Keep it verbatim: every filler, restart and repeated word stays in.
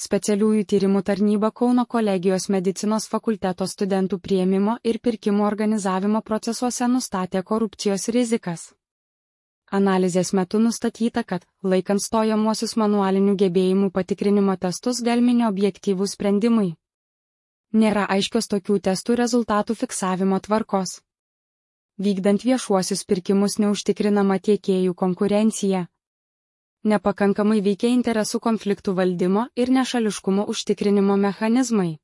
Specialiųjų tyrimų tarnyba Kauno kolegijos medicinos fakulteto studentų priėmimo ir pirkimo organizavimo procesuose nustatė korupcijos rizikas. Analizės metu nustatyta, kad, laikant stojamuosius manualinių gebėjimų patikrinimo testus galimi neobjektyvūs sprendimai. Nėra aiškios tokių testų rezultatų fiksavimo tvarkos. Vykdant viešuosius pirkimus neužtikrinama tiekėjų konkurencija. Nepakankamai veikia interesų konfliktų valdymo ir nešališkumo užtikrinimo mechanizmai.